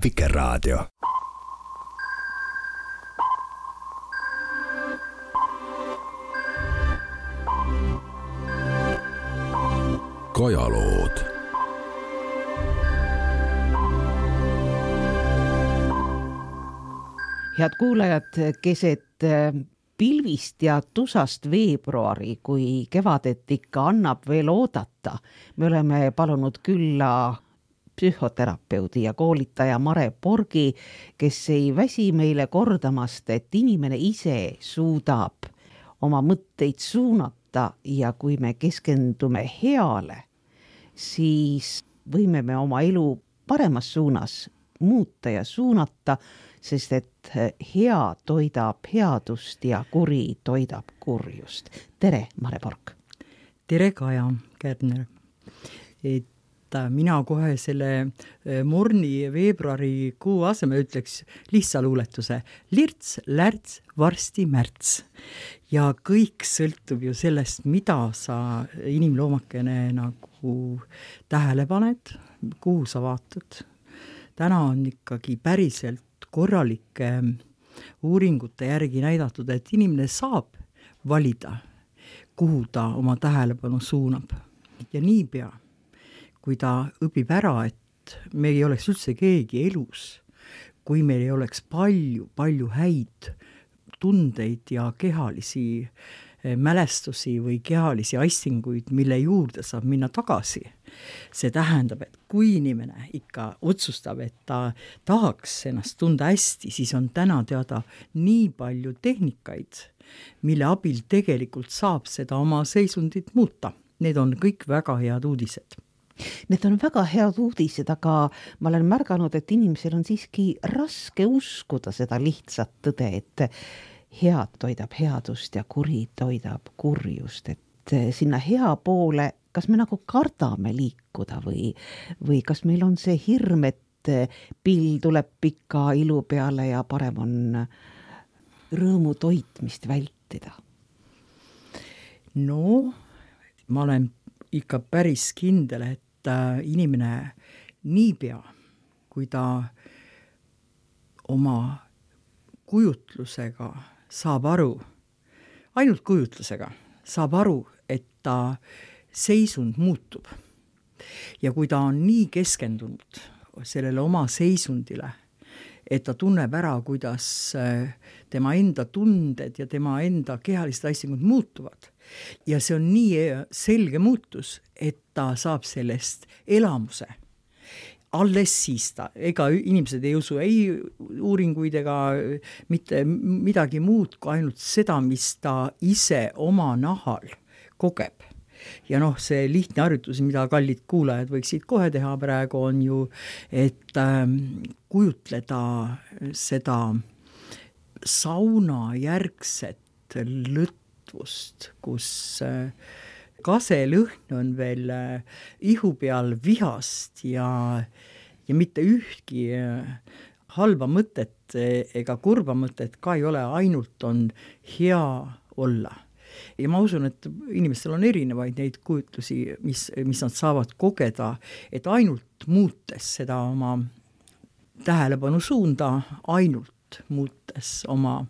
Vikerraadio. Kojalood. Head kuulajad, keset pilvist ja tusast veebruari, kui kevadet ikka annab veel oodata, me oleme palunud külla psühhoterapeudi ja koolitaja Mare Porgi, kes ei väsi meile kordamast, et inimene ise suudab oma mõtteid suunata ja kui me keskendume heale, siis võime me oma elu paremas suunas muuta ja suunata, sest et hea toidab headust ja kuri toidab kurjust. Tere, Mare Porg! Tere, Kaja Kärner! Mina kohe selle morni veebruarikuu asemel ütleks lihtsa luuletuse. Lirts, lärts, varsti märts. Ja kõik sõltub ju sellest, mida sa inimloomakene nagu tähele paned, kuhu sa vaatad. Täna on ikkagi päriselt korralike uuringute järgi näidatud, et inimene saab valida, kuhu ta oma tähelepanu suunab. Ja niipea, kui ta õpib ära, et me ei oleks üldse keegi elus, kui meil ei oleks palju häid tundeid ja kehalisi mälestusi või kehalisi astinguid, mille juurde saab minna tagasi. See tähendab, et kui inimene ikka otsustab, et ta tahaks ennast tunda hästi, siis on täna teada nii palju tehnikaid, mille abil tegelikult saab seda oma seisundit muuta. Need on kõik väga head uudised. Need on väga head uudised, aga ma olen märganud, et inimesel on siiski raske uskuda seda lihtsat tõde, et head toidab headust ja kuri toidab kurjust, et sinna hea poole, kas me nagu kardame liikuda või kas meil on see hirm, et pill tuleb pika ilu peale ja parem on rõõmu toitmist vältida? No, ma olen ikka päris kindel, et inimene niipea, kui ta oma kujutlusega saab aru, ainult kujutlusega saab aru, et ta seisund muutub. Ja kui ta on nii keskendunud sellele oma seisundile, et ta tunneb ära, kuidas tema enda tunded ja tema enda kehalised asjad muutuvad. Ja see on nii selge muutus, et ta saab sellest elamuse. Alles siis ta, ega inimesed ei usu ei uuringuid ega mitte midagi muud kui ainult seda, mis ta ise oma nahal kogeb. Ja see lihtne harjutus, mida kallid kuulajad võiksid kohe teha praegu, on ju, et kujutleda seda sauna järgset lõtvust, kus kaselõhn on veel ihu peal vihast ja mitte ühtki halba mõtet ega kurba mõtet ka ei ole, ainult on hea olla. Ja ma usun, et inimestel on erinevaid neid kujutlusi, mis nad saavad kogeda, et ainult muutes seda oma tähelepanu suunda, ainult muutes oma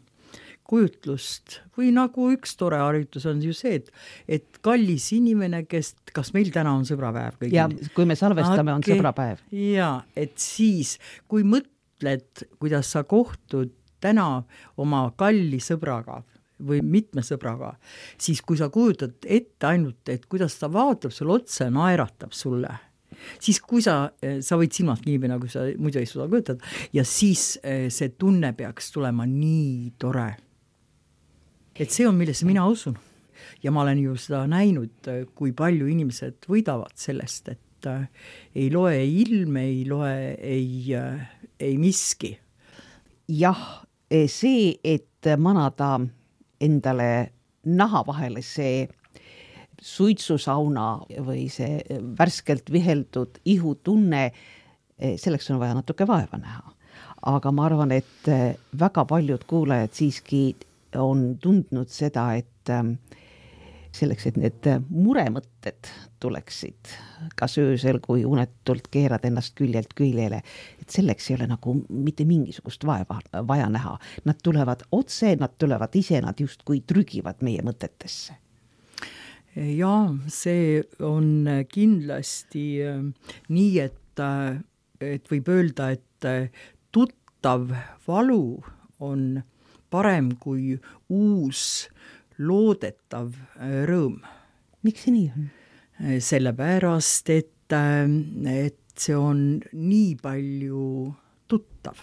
kujutlust või nagu üks tore harjutus on ju see, et kallis inimene, kas meil täna on sõbrapäev kõigil? Ja kui me salvestame, on sõbrapäev. Ja, et siis, kui mõtled, kuidas sa kohtud täna oma kalli sõbraga või mitme sõbraga, siis kui sa kujutad ette ainult, et kuidas ta vaatab sulle otsa ja naeratab sulle, siis kui sa võid silmad kinni, nagu sa muidu ei suuda kujutada, ja siis see tunne peaks tulema nii tore. Et see on, millesse mina usun. Ja ma olen ju seda näinud, kui palju inimesed võidavad sellest, et ei loe ilm, ei loe ei miski. Jah, see, et manada endale naha vahele see suitsusauna või see värskelt viheldud ihutunne, selleks on vaja natuke vaeva näha. Aga ma arvan, et väga paljud kuulajad siiski on tundnud seda, et selleks, et need muremõtted tuleksid kas öösel, kui unetult keerad ennast küljelt küljele, et selleks ei ole nagu mitte mingisugust vaeva vaja näha. Nad tulevad otse, nad tulevad ise, nad justkui trügivad meie mõtetesse. Ja see on kindlasti nii, et võib öelda, et tuttav valu on parem kui uus loodetav rõõm. Miks see nii on? Sellepärast, et see on nii palju tuttav.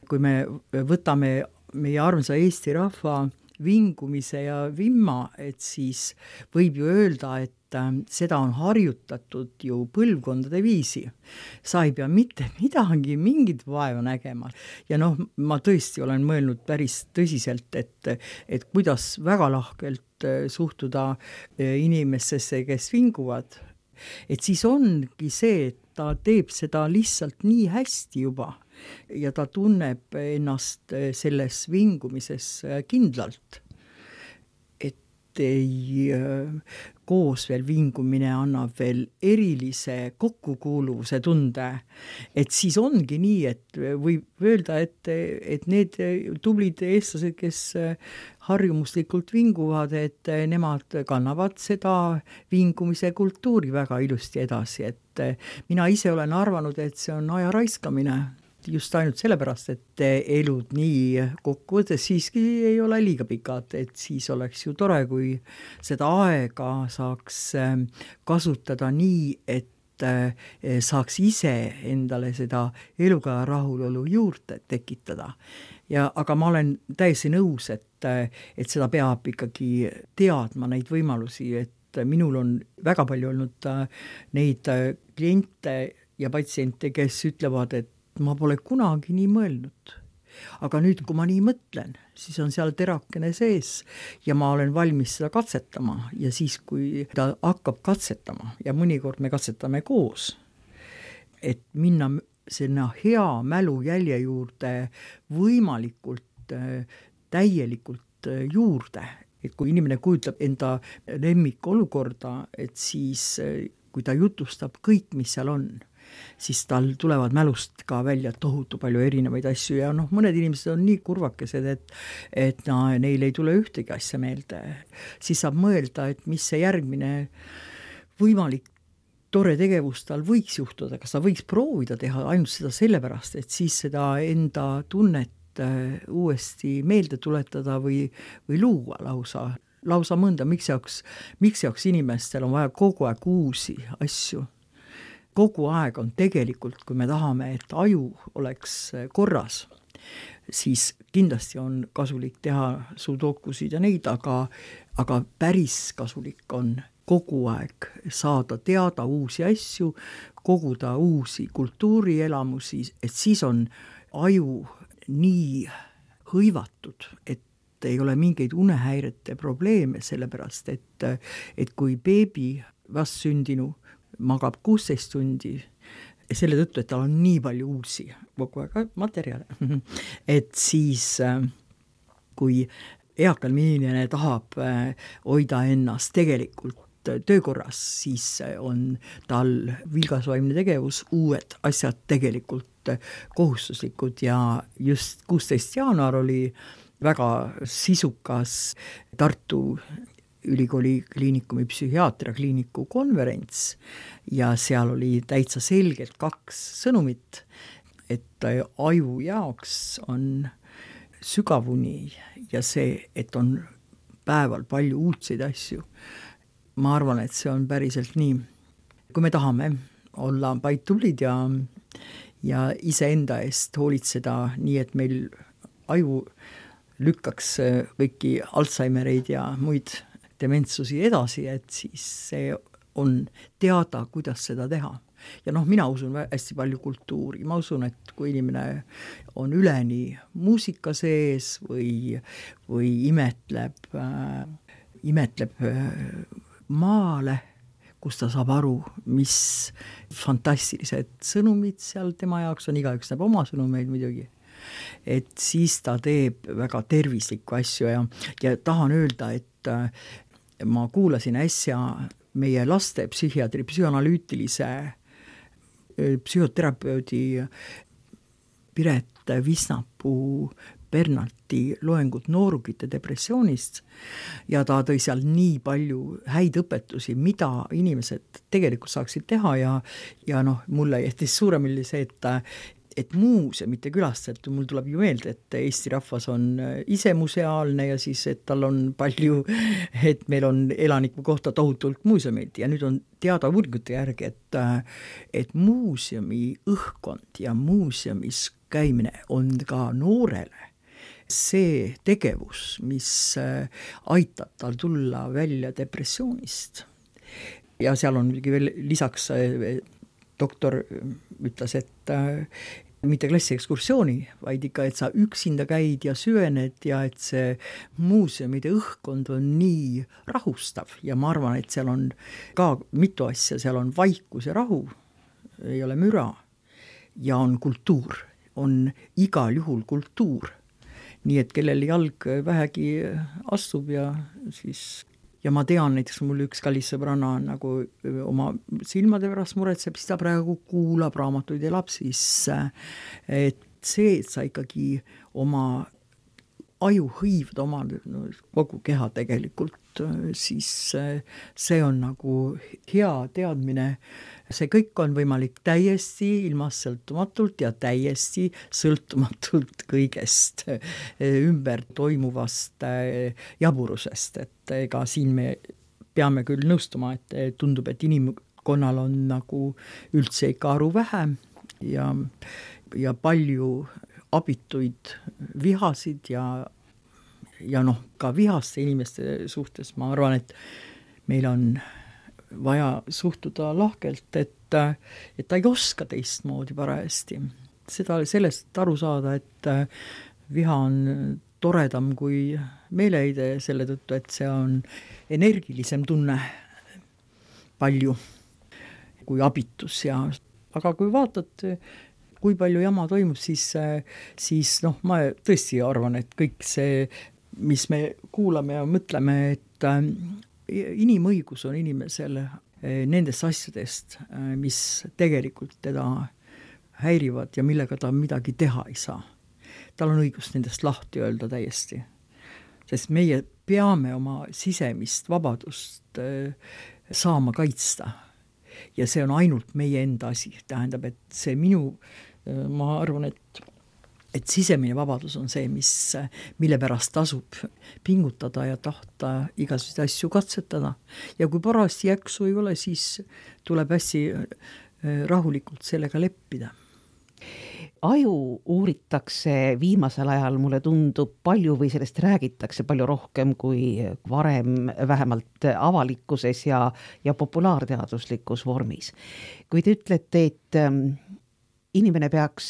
Kui me võtame meie armsa Eesti rahva vingumise ja vimma, et siis võib ju öelda, et seda on harjutatud ju põlvkondade viisi. Sa ei pea mitte midagi, mingit vaeva nägema. Ja ma tõesti olen mõelnud päris tõsiselt, et kuidas väga lahkelt suhtuda inimestesse, kes vinguvad. Et siis ongi see, et ta teeb seda lihtsalt nii hästi juba ja ta tunneb ennast selles vingumises kindlalt. Ei koos veel vingumine annab veel erilise kokkukuuluvuse tunde, et siis ongi nii, et võib öelda, et need tublid eestlased, kes harjumuslikult vinguvad, et nemad kannavad seda vingumise kultuuri väga ilusti edasi, et mina ise olen arvanud, et see on aja raiskamine. Just ainult sellepärast, et elud nii kokkuvõttes siiski ei ole liiga pikad, et siis oleks ju tore, kui seda aega saaks kasutada nii, et saaks ise endale seda eluga rahulolu juurde tekitada. Aga ma olen täiesti nõus, et seda peab ikkagi teadma neid võimalusi, et minul on väga palju olnud neid kliente ja patsiente, kes ütlevad, et ma pole kunagi nii mõelnud. Aga nüüd, kui ma nii mõtlen, siis on seal terakene sees ja ma olen valmis seda katsetama. Ja siis, kui ta hakkab katsetama ja mõnikord me katsetame koos, et minna sinna hea mälu jälje juurde võimalikult täielikult juurde. Et kui inimene kujutleb enda lemmikolukorda, et siis, kui ta jutustab kõik, mis seal on, siis tal tulevad mälust ka välja tohutu palju erinevaid asju ja mõned inimesed on nii kurvakesed, et neil ei tule ühtegi asja meelde. Siis saab mõelda, et mis see järgmine võimalik tore tegevus tal võiks juhtuda, kas ta võiks proovida teha ainult seda sellepärast, et siis seda enda tunnet uuesti meelde tuletada või luua lausa mõnda, miks jaoks inimestel on vaja kogu aeg uusi asju. Kogu aeg on tegelikult, kui me tahame, et aju oleks korras, siis kindlasti on kasulik teha sudokusid ja neid, aga päris kasulik on kogu aeg saada teada uusi asju, koguda uusi kultuurielamusi, et siis on aju nii hõivatud, et ei ole mingeid unehäirete probleeme, sellepärast, et kui beebi vastsündinu magab 16 tundi, selle tõttu, et tal on nii palju uusi kogu aeg materjale, et siis kui eakal inimene tahab hoida ennast tegelikult töökorras, siis on tal vilgasvaimne tegevus, uued asjad tegelikult kohustuslikud ja just 16. jaanuar oli väga sisukas Tartu ülikooli kliinikumi psühhiaatria kliiniku konverents ja seal oli täitsa selgelt 2 sõnumit, et aju jaoks on sügavuni ja see, et on päeval palju uudseid asju. Ma arvan, et see on päriselt nii. Kui me tahame olla vaid tublid ja iseenda eest hoolitseda nii, et meil aju lükkaks kõiki Alzheimereid ja muid dementsusi edasi, et siis see on teada, kuidas seda teha. Ja mina usun hästi palju kultuuri. Ma usun, et kui inimene on üleni muusika sees või imetleb maale, kus ta saab aru, mis fantastilised sõnumid seal tema jaoks on, igaüks näeb oma sõnumeid muidugi. Et siis ta teeb väga tervislikku asju ja tahan öelda, ma kuulasin äsja meie laste psühhiaatri, psühhanalüütilise psühhoterapeudi Piret Visnapuu Bernardi loengut noorukite depressioonist ja ta tõi seal nii palju häid õpetusi, mida inimesed tegelikult saaksid teha ja noh, mulle jättis suuremini see, et muuseumite külastajad, mul tuleb ju meelde, et Eesti rahvas on ise museaalne ja siis, et tal on palju, et meil on elaniku kohta tohutult muuseumeid ja nüüd on teada uuringute järgi, et muuseumi õhkkond ja muuseumis käimine on ka noorele see tegevus, mis aitab tal tulla välja depressioonist. Ja seal on veel lisaks doktor ütles, et mitte klassiekskursiooni, vaid ikka, et sa üksinda käid ja süvened ja et see muuseumide õhkkond on nii rahustav ja ma arvan, et seal on ka mitu asja, seal on vaikus ja rahu, ei ole müra ja on kultuur, on igal juhul kultuur. Nii et kellel jalg vähegi astub ja siis ja ma tean, näiteks mul üks kallis sõbranna nagu oma silmade pärast muretseb, siis ta praegu kuulab raamatuid ja elab sisse. Et see, et sa ikkagi oma aju hõivd oma kogu keha tegelikult, siis see on nagu hea teadmine. See kõik on võimalik täiesti ilmast sõltumatult ja täiesti sõltumatult kõigest ümber toimuvast jaburusest. Et ega siin me peame küll nõustuma, et tundub, et inimkonnal on nagu üldse ikka aru vähe ja palju abituid vihasid ja noh, ka vihaste inimeste suhtes ma arvan, et meil on vaja suhtuda lahkelt, et ta ei oska teistmoodi parajasti. Sellest aru saada, et viha on toredam kui meeleheide selle tõttu, et see on energilisem tunne palju kui abitus aga kui vaatad, kui palju jama toimub, siis noh, ma tõesti arvan, et kõik see, mis me kuulame ja mõtleme, et inimõigus on inimesel nendest asjadest, mis tegelikult teda häirivad ja millega ta midagi teha ei saa. Tal on õigus nendest lahti öelda täiesti. Sest meie peame oma sisemist vabadust saama kaitsta. Ja see on ainult meie enda asi. Tähendab, et see ma arvan, et sisemine vabadus on see, mille pärast tasub pingutada ja tahta igasuguseid asju katsetada. Ja kui parasti jaksu ei ole, siis tuleb hästi rahulikult sellega leppida. Aju uuritakse viimasel ajal, mulle tundub palju või sellest räägitakse palju rohkem kui varem, vähemalt avalikkuses ja populaarteaduslikus vormis. Kui te ütlete, et inimene peaks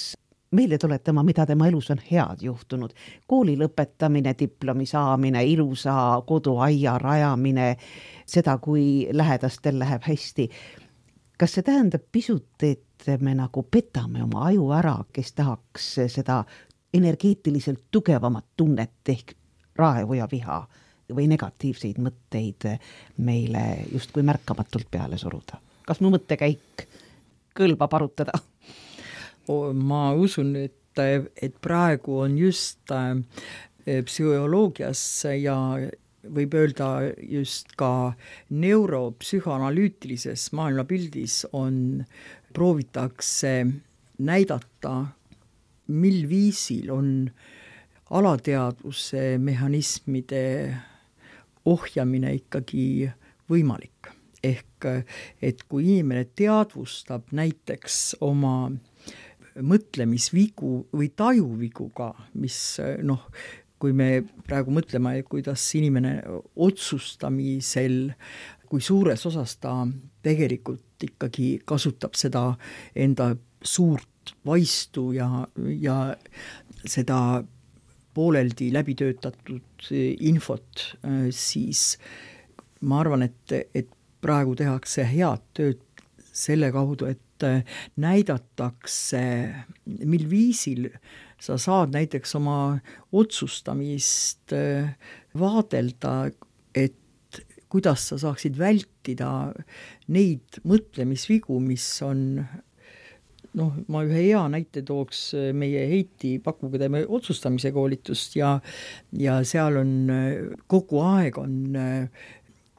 meile tuletama, mida tema elus on head juhtunud. Kooli lõpetamine, diplomi saamine, ilusa koduaia rajamine, seda, kui lähedastel läheb hästi. Kas see tähendab pisut, et me nagu petame oma aju ära, kes tahaks seda energeetiliselt tugevamat tunnet ehk raevu ja viha või negatiivseid mõtteid meile justkui märkamatult peale suruda? Kas mu mõttekäik kõlbab arutada? Ma usun, et praegu on just psühholoogias ja võib öelda just ka neuropsühhanalüütilises maailmapildis proovitakse näidata, mil viisil on alateadvuse mehhanismide ohjamine ikkagi võimalik. Ehk, et kui inimene teadvustab näiteks oma mõtlemisvigu või tajuvigu ka, mis noh, kui me praegu mõtleme, kuidas inimene otsustamisel, kui suures osas ta tegelikult ikkagi kasutab seda enda suurt vaistu ja seda pooleldi läbitöötatud infot, siis ma arvan, et praegu tehakse head tööd selle kaudu, et näidatakse, mil viisil sa saad näiteks oma otsustamist vaadelda, et kuidas sa saaksid vältida neid mõtlemisvigu, mis on ma ühe hea näite tooks meie Heiti Pakuga teeme otsustamise koolitust ja seal on kogu aeg on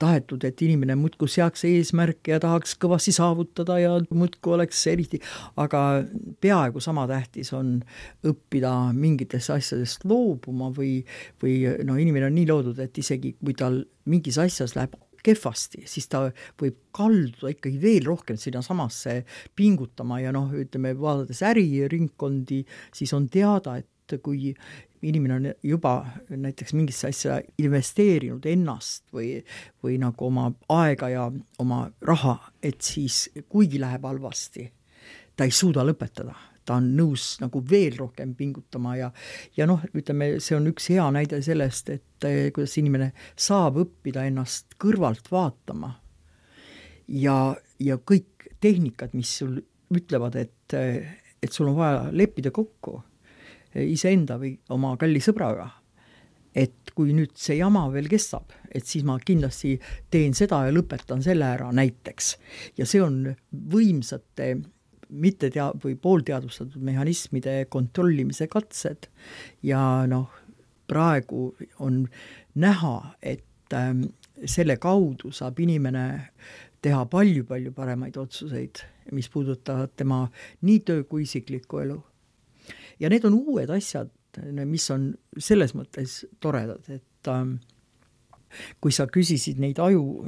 tahetud, et inimene muudkui seaks eesmärke ja tahaks kõvasti saavutada ja muudkui oleks eriti, aga peaaegu sama tähtis on õppida mingitest asjadest loobuma või inimene on nii loodud, et isegi kui tal mingis asjas läheb kehvasti, siis ta võib kalduda ikkagi veel rohkem sinna samasse pingutama ja ütleme, vaadates äriringkondi, siis on teada, et kui inimene on juba näiteks mingisse asja investeerinud ennast või nagu oma aega ja oma raha, et siis kuigi läheb halvasti, ta ei suuda lõpetada. Ta on nõus nagu veel rohkem pingutama ja ütleme, see on üks hea näide sellest, et kuidas inimene saab õppida ennast kõrvalt vaatama ja kõik tehnikad, mis sul ütlevad, et sul on vaja leppida kokku iseenda või oma kalli sõbraga, et kui nüüd see jama veel kestab, et siis ma kindlasti teen seda ja lõpetan selle ära näiteks. Ja see on võimsate või poolteadvustatud mehhanismide kontrollimise katsed ja praegu on näha, et selle kaudu saab inimene teha palju-palju paremaid otsuseid, mis puudutavad tema nii töö kui isiklikku elu. Ja need on uued asjad, mis on selles mõttes toredad, et kui sa küsisid neid aju,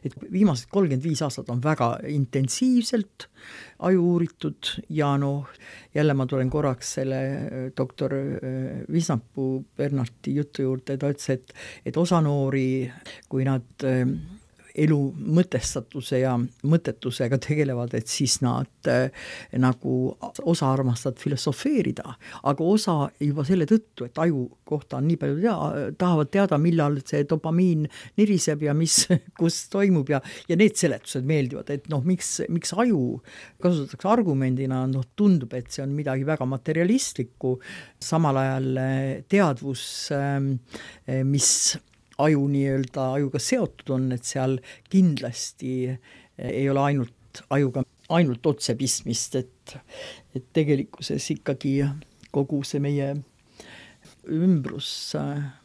et viimased 35 aastat on väga intensiivselt aju uuritud ja jälle ma tulen korraks selle doktor Visnapuu Bernardi jutu juurde, ta ütles, et osa noori, kui nad elu mõtestatuse ja mõttetusega tegelevad, et siis nad nagu osa armastavad filosofeerida, aga osa juba selle tõttu, et aju kohta on nii palju tahavad teada, millal see dopamiin niriseb ja kus toimub ja need seletused meeldivad, et miks aju kasutatakse argumendina, tundub, et see on midagi väga materialistlikku, samal ajal teadvus, mis ajuga seotud on, et seal kindlasti ei ole ainult otse pistmist, et tegelikkuses ikkagi kogu see meie ümbrus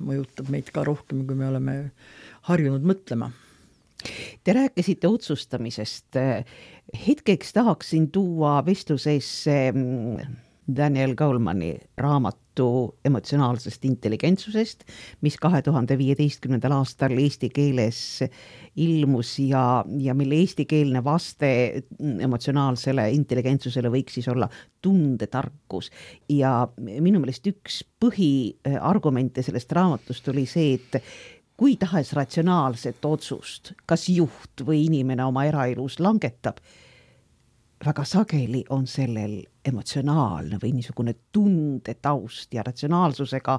mõjutab meid ka rohkem, kui me oleme harjunud mõtlema. Te rääkisite otsustamisest. Hetkeks tahaksin tuua vestlusesse Daniel Goleman'i raamatu emotsionaalsest intelligentsusest, mis 2015. aastal eesti keeles ilmus ja mille eestikeelne vaste emotsionaalsele intelligentsusele võiks siis olla tundetarkus. Ja minu meelest üks põhiargumente sellest raamatust oli see, et kui tahes ratsionaalset otsust, kas juht või inimene oma eraelus langetab, väga sageli on sellel emotsionaalne või niisugune tundetaust ja ratsionaalsusega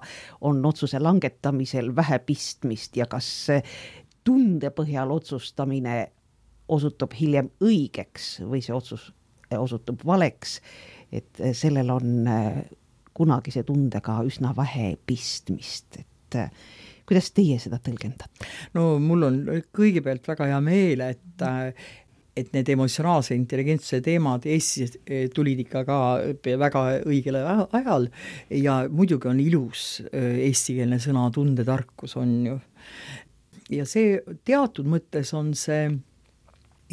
on otsuse langetamisel vähe pistmist ja kas tunde põhjal otsustamine osutub hiljem õigeks või see otsus osutub valeks, et sellel on kunagise tundega üsna vähe pistmist, et kuidas teie seda tõlgendate? Mul on kõigepealt väga hea meel, et need emotsionaalse intelligentsuse teemad Eestis tulid ikka ka väga õigel ajal ja muidugi on ilus eestikeelne sõna tundetarkus on ju. Ja see teatud mõttes on see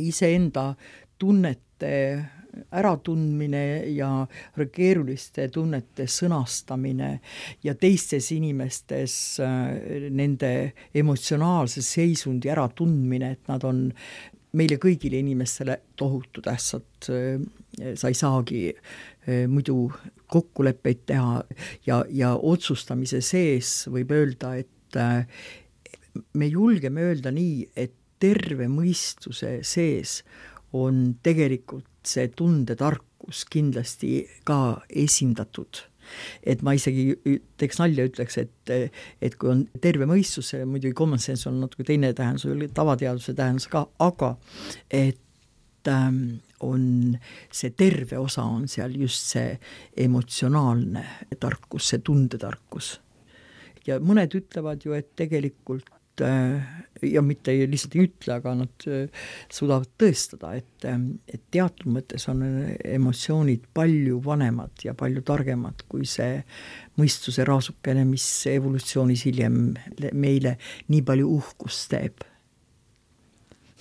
iseenda tunnete äratundmine ja keeruliste tunnete sõnastamine ja teistes inimestes nende emotsionaalse seisundi äratundmine, et nad on meile kõigile inimestele tohutu tähtsad, sa ei saagi muidu kokkuleppeid teha ja otsustamise sees võib öelda, et me julgeme öelda nii, et terve mõistuse sees on tegelikult see tundetarkus kindlasti ka esindatud. Et ma isegi teeks nalja ütleks, et kui on terve mõistus, muidugi common sense on natuke teine tähendus, tavateaduse tähendus ka, aga et on see terve osa on seal just see emotsionaalne tarkus, see tundetarkus. Ja mõned ütlevad ju, et tegelikult ja mitte lihtsalt ei ütle, aga nad suudavad tõestada, et teatud mõttes on emotsioonid palju vanemad ja palju targemad kui see mõistuse raasukene, mis evolutsioonis hiljem meile nii palju uhkust teeb.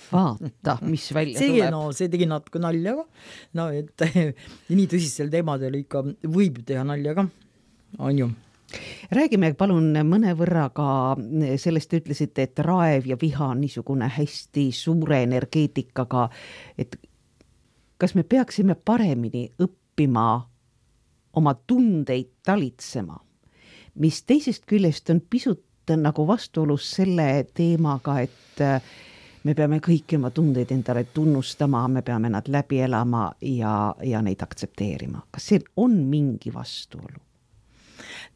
Vaata, mis välja tuleb. No, see tegi natuke nalja ka. No, et nii tõsistel teemadel ikka võib teha nalja ka, on ju. Räägime palun mõnevõrra ka sellest, ütlesite, et raev ja viha on niisugune hästi suure energeetikaga, et kas me peaksime paremini õppima oma tundeid talitsema, mis teisest küljest on pisut nagu vastuolus selle teemaga, et me peame kõiki oma tundeid endale tunnustama, me peame nad läbi elama ja neid aktsepteerima. Kas see on mingi vastuolu?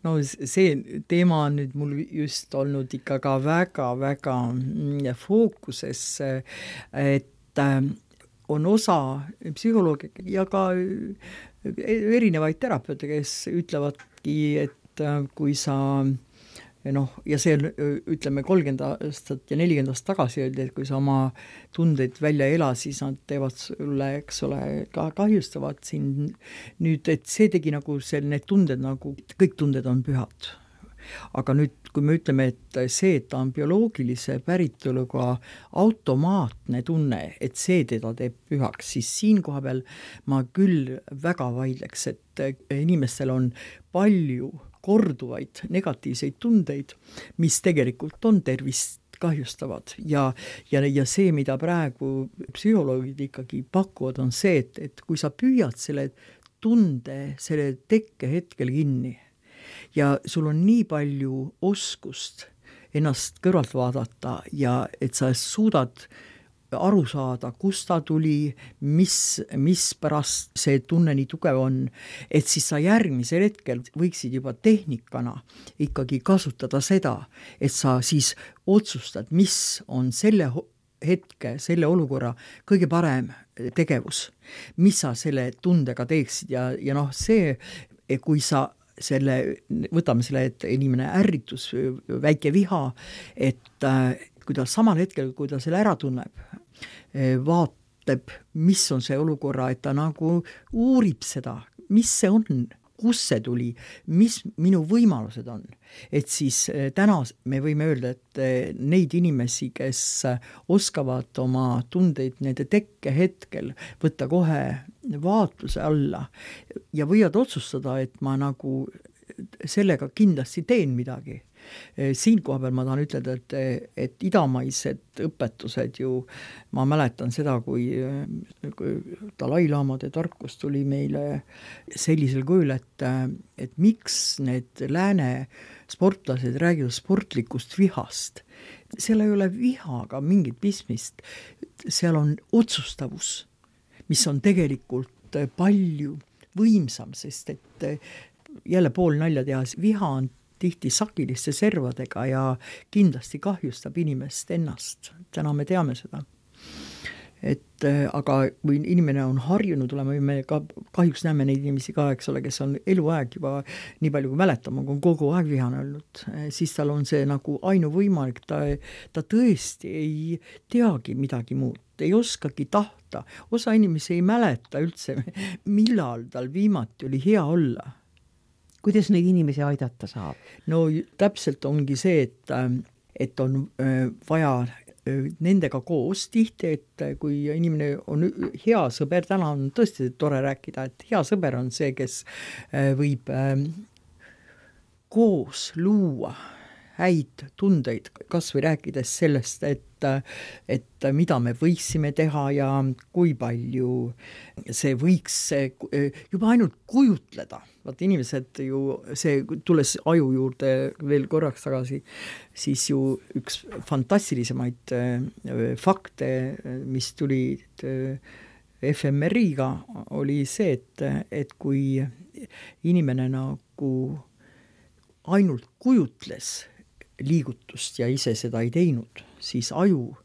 No see teema on nüüd mul just olnud ikka ka väga-väga fookuses, et on osa psühholoogi ja ka erinevaid terapeute, kes ütlevadki, et kui sa ja see on, ütleme 30 aastat ja 40 aastat tagasi öeldi, et kui sa oma tundeid välja ela, siis nad teevad sulle, eks ole, ka kahjustavad siin nüüd, et see tegi nagu need tunded nagu, kõik tunded on pühad. Aga nüüd, kui me ütleme, et see, et ta on bioloogilise päritoluga automaatne tunne, et see teda teeb pühaks, siis siin koha peal ma küll väga vaidleks, et inimestel on palju korduvaid negatiivseid tundeid, mis tegelikult on tervist kahjustavad ja see, mida praegu psühholoogid ikkagi pakuvad, on see, et kui sa püüad selle tunde, selle tekke hetkel kinni ja sul on nii palju oskust ennast kõrvalt vaadata ja et sa suudad aru saada, kust ta tuli, mis pärast see tunne nii tugev on, et siis sa järgmisel hetkel võiksid juba tehnikana ikkagi kasutada seda, et sa siis otsustad, mis on selle hetke, selle olukorra kõige parem tegevus, mis sa selle tundega teeksid ja see, kui sa võtame selle, et inimene ärritus, väike viha, et kui ta samal hetkel, kui ta selle ära tunneb, vaatab, mis on see olukorra, et ta nagu uurib seda, mis see on, kus see tuli, mis minu võimalused on. Et siis täna me võime öelda, et neid inimesi, kes oskavad oma tundeid nende tekke hetkel võtta kohe vaatluse alla ja võivad otsustada, et ma nagu sellega kindlasti teen midagi. Siin koha peal ma tahan ütelda, et idamaised õpetused ju, ma mäletan seda, kui Dalai-laamade tarkus tuli meile sellisel kujul, et miks need lääne sportlased räägivad sportlikust vihast. Seal ei ole vihaga mingit pistmist, seal on otsustavus, mis on tegelikult palju võimsam, sest et jälle pool nalja tehas, viha on tihti sakiliste servadega ja kindlasti kahjustab inimest ennast. Täna me teame seda. Aga kui inimene on harjunud olema, me kahjuks näeme neid inimesi ka, eks ole, kes on eluaeg juba nii palju kui mäletama, kui on kogu aeg vihane olnud, siis tal on see nagu ainuvõimalik, ta tõesti ei teagi midagi muud, ei oskagi tahta. Osa inimesi ei mäleta üldse, millal tal viimati oli hea olla. Kuidas neid inimesi aidata saab? No täpselt ongi see, et on vaja nendega koos tihti, et kui inimene on hea sõber, täna on tõesti tore rääkida, et hea sõber on see, kes võib koos luua häid tundeid, kas või rääkides sellest, et mida me võiksime teha ja kui palju see võiks juba ainult kujutleda. Vaat inimesed ju, see tulles aju juurde veel korraks tagasi, siis ju üks fantastilisemaid fakte, mis tuli FMRI-ga, oli see, et kui inimene nagu ainult kujutles liigutust ja ise seda ei teinud, siis aju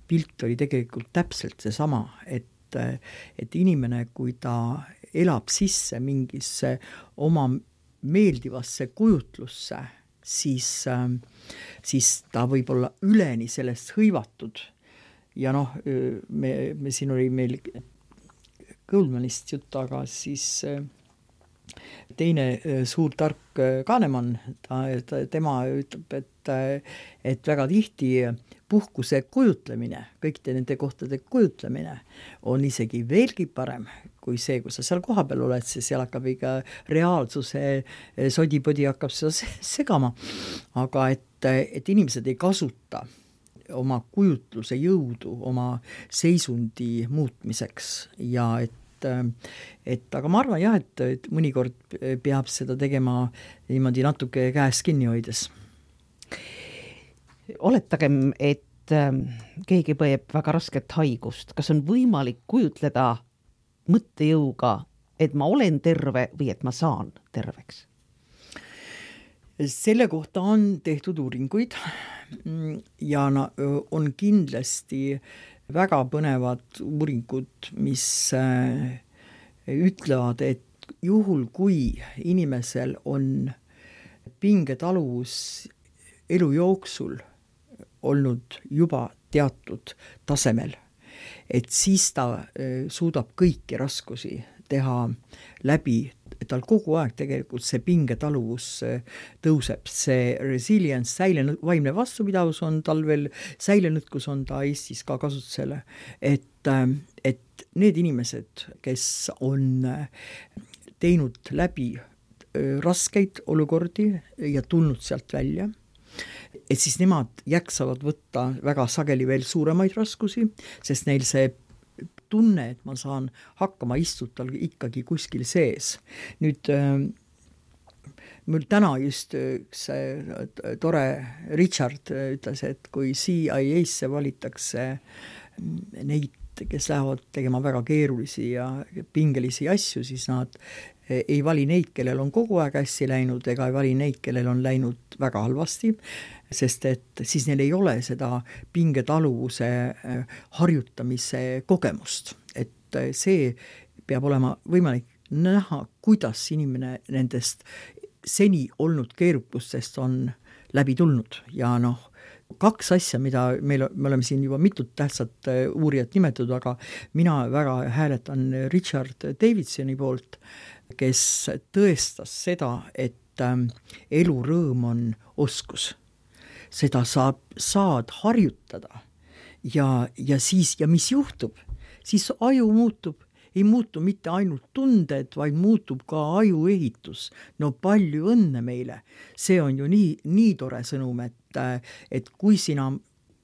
pilt oli tegelikult täpselt see sama, et inimene, kui ta elab sisse mingisse oma meeldivasse kujutlusse, siis ta võib olla üleni sellest hõivatud. Ja noh, me siin oli meil Goldmanist jutt, aga siis teine suur tark Kahnemann, tema ütleb, et väga tihti puhkuse kujutlemine, kõikide nende kohtade kujutlemine on isegi veelgi parem kui see, kui sa seal kohapeal oled, seal hakkab ikka reaalsuse sodipodi hakkab seda segama. Aga et inimesed ei kasuta oma kujutluse jõudu oma seisundi muutmiseks ja aga ma arvan jah, et mõnikord peab seda tegema niimoodi natuke käes kinni hoides. Oletagem, et keegi põeb väga rasket haigust. Kas on võimalik kujutleda mõttejõuga, et ma olen terve või et ma saan terveks? Selle kohta on tehtud uuringuid ja on kindlasti väga põnevad uuringud, mis ütlevad, et juhul kui inimesel on pingetaluvus elu jooksul olnud juba teatud tasemel, et siis ta suudab kõiki raskusi teha läbi, tal kogu aeg tegelikult see pingetaluvus tõuseb, see resilience, vaimne vastupidavus on tal veel, säilenõtkus on ta Eestis ka kasutusele, et need inimesed, kes on teinud läbi raskeid olukordi ja tulnud sealt välja, et siis nemad jaksavad võtta väga sageli veel suuremaid raskusi, sest neil see tunne, et ma saan hakkama istutal ikkagi kuskil sees. Nüüd mul täna just üks tore Richard ütles, et kui CIA-sse valitakse neid, kes lähevad tegema väga keerulisi ja pingelisi asju, siis nad ei vali neid, kellel on kogu aeg hästi läinud, ega ei vali neid, kellel on läinud väga halvasti, sest et siis neil ei ole seda pingetaluvuse harjutamise kogemust. Et see peab olema võimalik näha, kuidas inimene nendest seni olnud keerukustest on läbi tulnud. Ja noh, kaks asja, mida me oleme siin juba mitut tähtsat uurijat nimetatud, aga mina väga hääletan Richard Davidsoni poolt, kes tõestas seda, et elurõõm on oskus. Seda saad harjutada ja mis juhtub? Siis aju muutub, ei muutu mitte ainult tunded, vaid muutub ka ajuehitus. No palju õnne meile. See on ju nii tore sõnum, et kui sina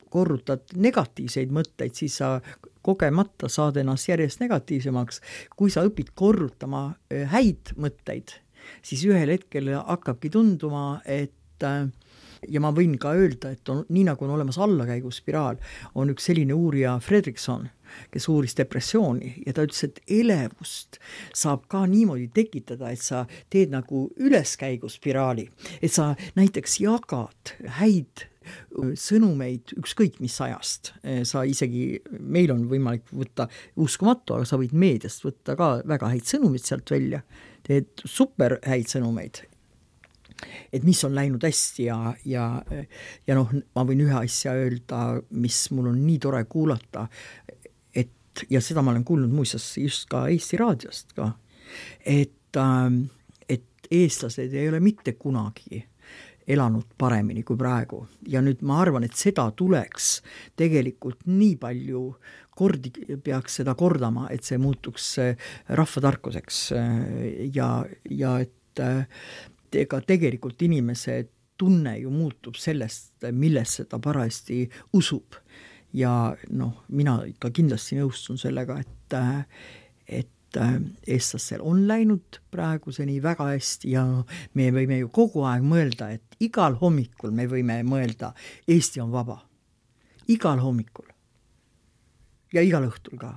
korrutad negatiivseid mõtteid, siis sa kogemata saad ennast järjest negatiivsemaks. Kui sa õpid korrutama häid mõtteid, siis ühel hetkel hakkabki tunduma, et ja ma võin ka öelda, et nii nagu on olemas allakäiguspiraal, on üks selline uurija Fredrickson, kes uuris depressiooni ja ta ütles, et elevust saab ka niimoodi tekitada, et sa teed nagu üleskäiguspiraali, et sa näiteks jagad häid sõnumeid ükskõik mis ajast. Sa isegi, meil on võimalik võtta uskumatu, aga sa võid meediast võtta ka väga häid sõnumid sealt välja, teed super häid sõnumeid, et mis on läinud hästi ja noh, ma võin ühe asja öelda, mis mul on nii tore kuulata, ja seda ma olen kuulnud muuseas just ka Eesti raadiost ka, et eestlased ei ole mitte kunagi elanud paremini kui praegu. Ja nüüd ma arvan, et seda tuleks tegelikult nii palju kordi peaks seda kordama, et see muutuks rahvatarkuseks ja et ega tegelikult inimese tunne ju muutub sellest, millesse ta parajasti usub. Ja noh, mina ikka kindlasti nõustun sellega, et eestlastel on läinud praeguseni väga hästi ja me võime ju kogu aeg mõelda, et igal hommikul me võime mõelda, Eesti on vaba. Igal hommikul. Ja igal õhtul ka.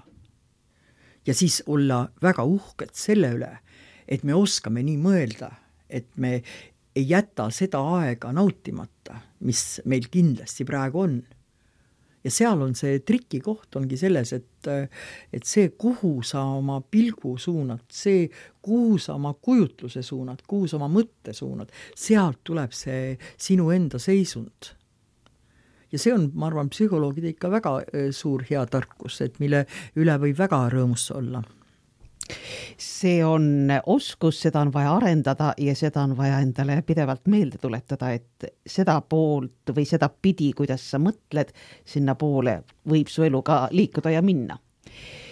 Ja siis olla väga uhked selle üle, et me oskame nii mõelda, et me ei jäta seda aega nautimata, mis meil kindlasti praegu on. ja seal on see trikikoht ongi selles, et see, kuhu sa oma pilgu suunad, see, kuhu sa oma kujutluse suunad, kuhu sa oma mõtte suunad, sealt tuleb see sinu enda seisund. Ja see on, ma arvan, psühholoogide ikka väga suur hea tarkus, et mille üle võib väga rõõmus olla. See on oskus, seda on vaja arendada ja seda on vaja endale pidevalt meelde tuletada, et seda poolt või seda pidi, kuidas sa mõtled, sinna poole võib su elu ka liikuda ja minna.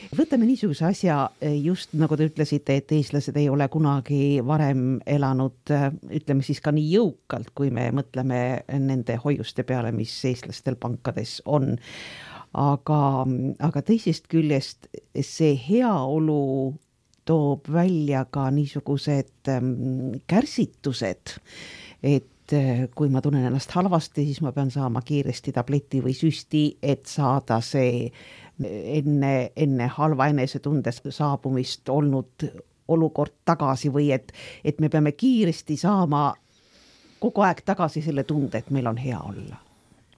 Võtame niisuguse asja, just nagu te ütlesite, et eestlased ei ole kunagi varem elanud, ütleme siis ka nii jõukalt, kui me mõtleme nende hoiuste peale, mis eestlastel pankades on. Aga teisest küljest see heaolu toob välja ka niisugused kärsitused, et kui ma tunnen ennast halvasti, siis ma pean saama kiiresti tableti või süsti, et saada see enne halva enesetunde saabumist olnud olukord tagasi või et me peame kiiresti saama kogu aeg tagasi selle tunde, et meil on hea olla.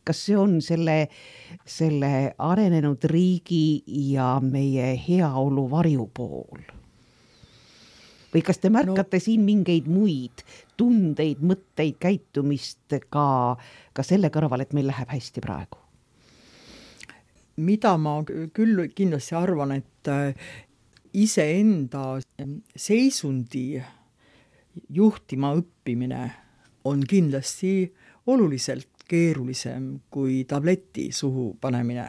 Kas see on selle arenenud riigi ja meie heaolu varjupool? Või kas te märkate siin mingeid muid tundeid, mõtteid, käitumist ka selle kõrval, et meil läheb hästi praegu? Mida ma küll kindlasti arvan, et iseenda seisundi juhtima õppimine on kindlasti oluliselt keerulisem kui tableti suhu panemine.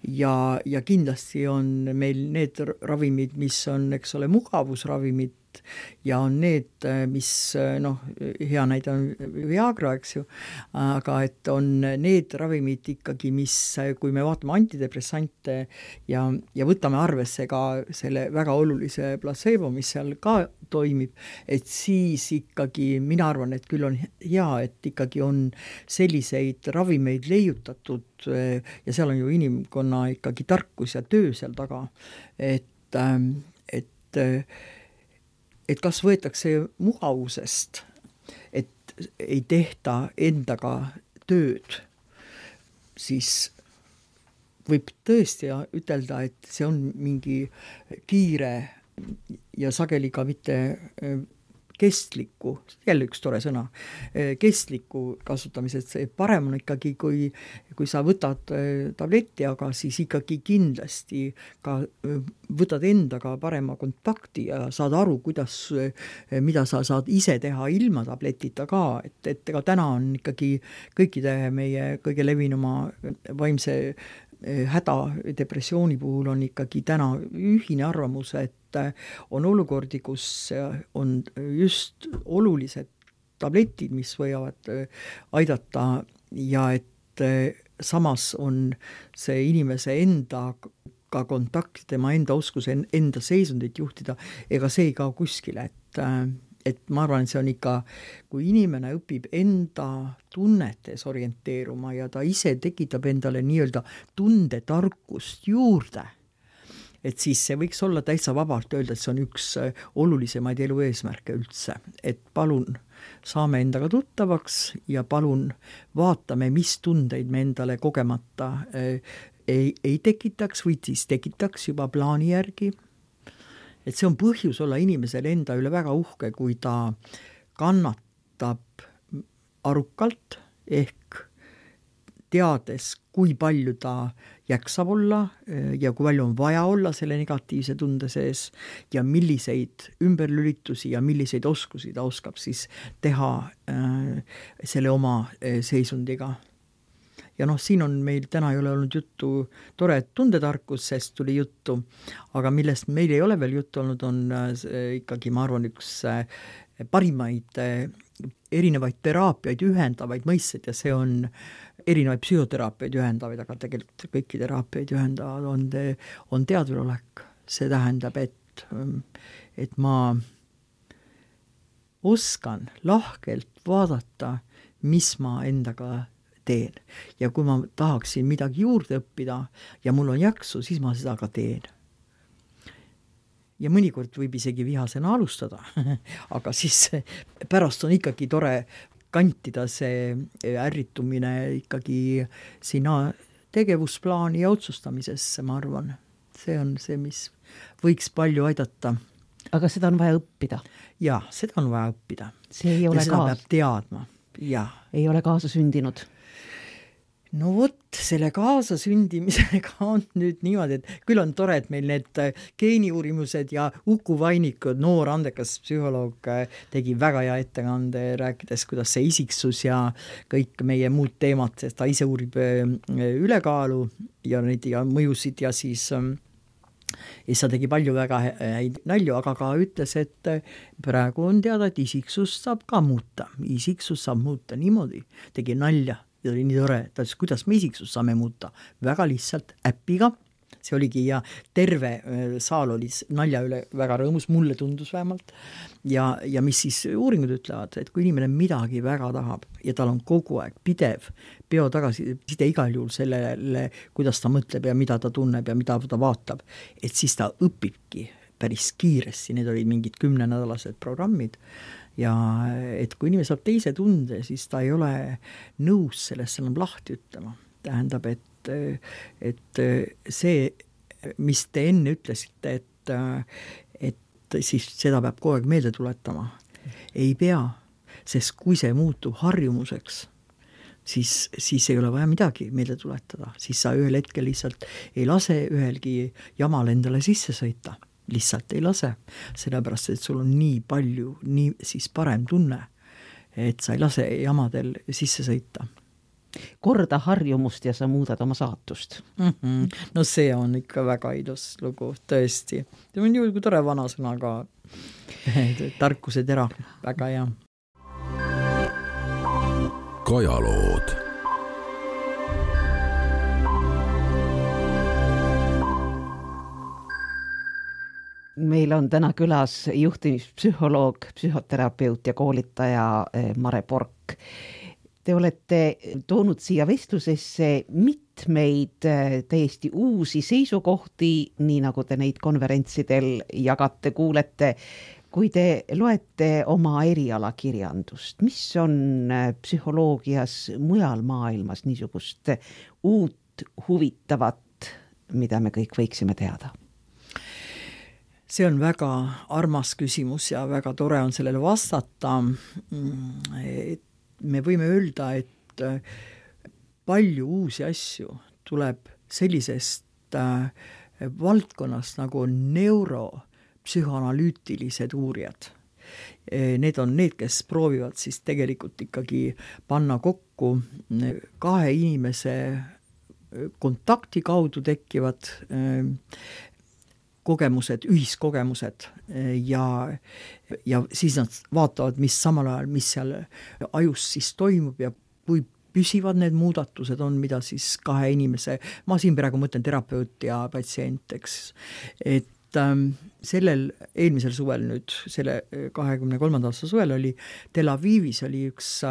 Ja kindlasti on meil need ravimid, mis on, eks ole, mugavusravimid ja on need, mis, hea näide on Viagra, eks ju, aga et on need ravimid ikkagi, mis, kui me vaatame antidepressante ja võtame arvesse ka selle väga olulise placebo, mis seal ka toimib, et siis ikkagi mina arvan, et küll on hea, et ikkagi on selliseid ravimeid leiutatud ja seal on ju inimkonna ikkagi tarkus ja töö seal taga, et kas võetakse mugavusest, et ei tehta endaga tööd, siis võib tõesti ütelda, et see on mingi kiire ja sageli ka mitte kestliku, jälle üks tore sõna, kestliku kasutamised, see parem on ikkagi, kui sa võtad tableti, aga siis ikkagi kindlasti ka võtad endaga parema kontakti ja saad aru, mida sa saad ise teha ilma tabletita ka, et ega täna on ikkagi kõikide meie kõige levinuma vaimse häda depressiooni puhul on ikkagi täna ühine arvamus, et on olukordi, kus on just olulised tabletid, mis võivad aidata ja et samas on see inimese enda ka kontakt, tema enda oskus enda seisundit juhtida, ega see ei kao kuskile, et ma arvan, et see on ikka, kui inimene õpib enda tunnetes orienteeruma ja ta ise tekitab endale nii-öelda tundetarkust juurde, et siis see võiks olla täitsa vabalt öelda, et see on üks olulisemaid elu eesmärke üldse, et palun saame endaga tuttavaks ja palun vaatame, mis tundeid me endale kogemata ei tekitaks või siis tekitaks juba plaani järgi. Et see on põhjus olla inimesel enda üle väga uhke, kui ta kannatab arukalt ehk teades, kui palju ta jaksab olla ja kui palju on vaja olla selle negatiivse tunde sees ja milliseid ümberlülitusi ja milliseid oskusi ta oskab siis teha selle oma seisundiga. Ja siin on meil täna ei ole olnud juttu tore tundetarkusest tuli juttu, aga millest meil ei ole veel juttu olnud, on ikkagi, ma arvan, üks parimaid erinevaid teraapiaid ühendavaid mõisted ja see on erinevaid psühhoteraapiaid ühendavaid, aga tegelikult kõiki teraapiaid ühendavad on teadvelolek. See tähendab, et ma oskan lahkelt vaadata, mis ma endaga teen. Ja kui ma tahaksin midagi juurde õppida ja mul on jaksu, siis ma seda ka teen. Ja mõnikord võib isegi vihasena alustada, aga siis pärast on ikkagi tore kantida see ärritumine ikkagi sinna tegevusplaani ja otsustamisesse, ma arvan. See on see, mis võiks palju aidata. Aga seda on vaja õppida? Jaa, seda on vaja õppida. See ei ole ja seda peab teadma. Ja. Ei ole kaasa sündinud? No vot, selle kaasasündimisega on nüüd niimoodi, et küll on tore, et meil need geeniuurimused ja Uku Vainikud, noor andekas psühholoog, tegi väga hea ettekande, rääkides, kuidas see isiksus ja kõik meie muud teemad, sest ta ise uurib ülekaalu ja neid ja mõjusid ja siis ta tegi palju väga häid nalju, aga ka ütles, et praegu on teada, et isiksus saab ka muuta. Isiksus saab muuta niimoodi, tegi nalja. Ja oli nii tore, ta ütles, kuidas me isiksus saame muuta. Väga lihtsalt äpiga, see oligi ja terve saal oli nalja üle väga rõõmus, mulle tundus vähemalt. Ja mis siis uuringud ütlevad, et kui inimene midagi väga tahab ja tal on kogu aeg pidev peo tagasiside igal juhul sellele, kuidas ta mõtleb ja mida ta tunneb ja mida ta vaatab, et siis ta õpibki päris kiiresti, need olid mingid 10-nädalased programmid. Ja et kui inimene saab teise tunde, siis ta ei ole nõus sellest enam lahti ütlema. Tähendab, et see, mis te enne ütlesite, et siis seda peab kogu aeg meelde tuletama. Ei pea, sest kui see muutub harjumuseks, siis ei ole vaja midagi meelde tuletada. Siis sa ühel hetkel lihtsalt ei lase ühelgi jamal endale sisse sõita. Lihtsalt ei lase, sellepärast, et sul on nii palju, nii siis parem tunne, et sa ei lase jamadel sisse sõita. Korda harjumust ja sa muudad oma saatust. No see on ikka väga ilus lugu, tõesti. See on ju tore vanasõna ka, tarkuse tera, väga hea. Kajalood. Meil on täna külas juhtimispsühholoog, psühhoterapeut ja koolitaja Mare Pork. Te olete toonud siia vestlusesse mitmeid täiesti uusi seisukohti, nii nagu te neid konverentsidel jagate, kuulete, kui te loete oma erialakirjandust. Mis on psühholoogias mujal maailmas niisugust uut huvitavat, mida me kõik võiksime teada? See on väga armas küsimus ja väga tore on sellele vastata. Me võime öelda, et palju uusi asju tuleb sellisest valdkonnast nagu neuropsühhoanalüütilised uurijad. Need on need, kes proovivad siis tegelikult ikkagi panna kokku kahe inimese kontakti kaudu tekkivad kogemused, ühiskogemused ja siis nad vaatavad, mis samal ajal, mis seal ajus siis toimub ja kui püsivad need muudatused on, mida siis kahe inimese, ma siin praegu mõtlen terapeut ja patsient, eks, et sellel eelmisel suvel nüüd, selle 23. aasta suvel oli Tel Avivis oli üks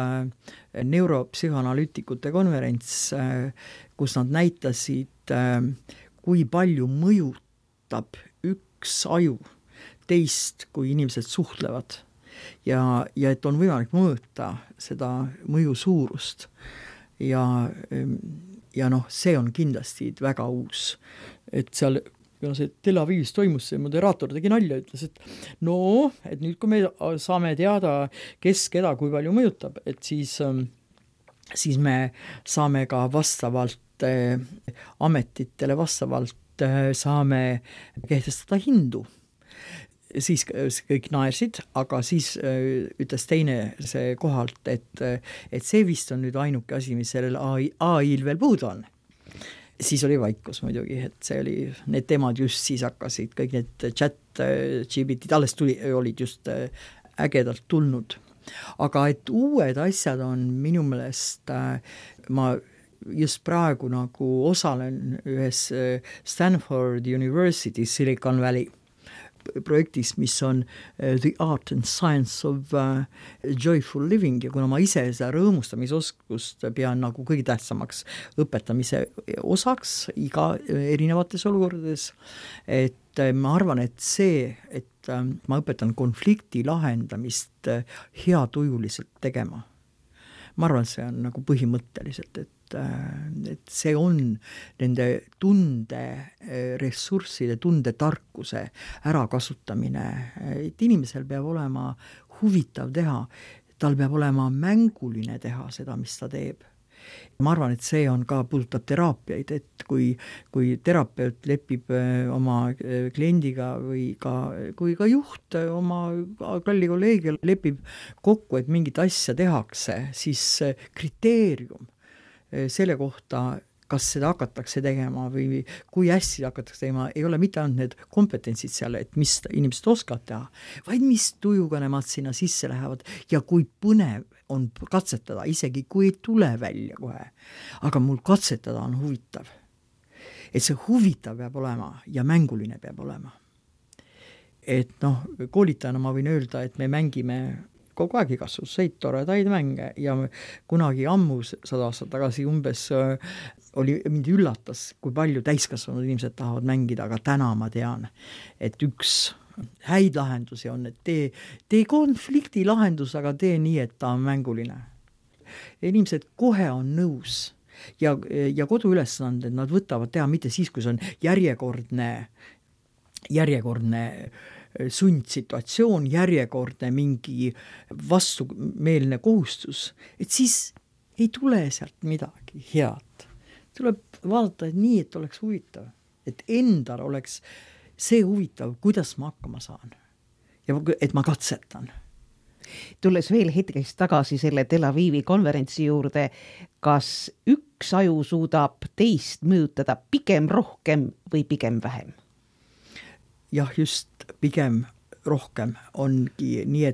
neuropsühhoanalüütikute konverents, kus nad näitasid, kui palju mõjutab üks aju teist, kui inimesed suhtlevad ja et on võimalik mõõta seda mõju suurust ja see on kindlasti väga uus, et seal see Tel Avivis toimus, see moderaator tegi nalja, ütles, et et nüüd kui me saame teada, kes keda kui palju mõjutab, et siis me saame ka vastavalt ametitele vastavalt saame kehtestada hindu. Siis kõik naersid, aga siis ütles teine see kohalt, et see vist on nüüd ainuke asi, mis sellel AI-l veel puudu on. Siis oli vaikus muidugi, et see oli, need teemad just siis hakkasid, kõik need chat GPT, alles olid just ägedalt tulnud. Aga et uued asjad on minu meelest, ma just praegu nagu osalen ühes Stanford University Silicon Valley projektis, mis on The Art and Science of Joyful Living ja kuna ma ise seda rõõmustamisoskust pean nagu kõige tähtsamaks õpetamise osaks iga erinevates olukordades, et ma arvan, et see, et ma õpetan konflikti lahendamist heatujuliselt tegema. Ma arvan, et see on nagu põhimõtteliselt, et see on nende ressursside, tarkuse ärakasutamine, et inimesel peab olema huvitav teha, tal peab olema mänguline teha seda, mis ta teeb. Ma arvan, et see on ka, puudutab teraapiaid, et kui terapeut lepib oma kliendiga või kui ka juht oma kalli kolleegiga lepib kokku, et mingit asja tehakse, siis kriteerium selle kohta, kas seda hakatakse tegema või kui hästi hakatakse tegema, ei ole mitte ainult need kompetentsid seal, et mis inimesed oskavad teha, vaid mis tujuga nemad sinna sisse lähevad ja kui põnev on katsetada, isegi kui ei tule välja kohe. Aga mul katsetada on huvitav. Et see huvitav peab olema ja mänguline peab olema. Et koolitajana ma võin öelda, et me mängime kogu aeg igasuguseid toredaid mänge ja kunagi ammu 100 aastat tagasi umbes mind üllatas, kui palju täiskasvanud inimesed tahavad mängida, aga täna ma tean, et üks häid lahendusi on, et tee konflikti lahendus, aga tee nii, et ta on mänguline. Inimesed kohe on nõus ja koduülesanded nad võtavad teha mitte siis, kui see on järjekordne sundsituatsioon, järjekordne mingi vastumeelne kohustus, et siis ei tule sealt midagi head. Tuleb vaadata nii, et oleks huvitav, et endal oleks see huvitav, kuidas ma hakkama saan ja et ma katsetan. Tulles veel hetkeks tagasi selle Tel Avivi konverentsi juurde, kas üks aju suudab teist mõjutada pigem rohkem või pigem vähem? Jah, just pigem rohkem ongi nii,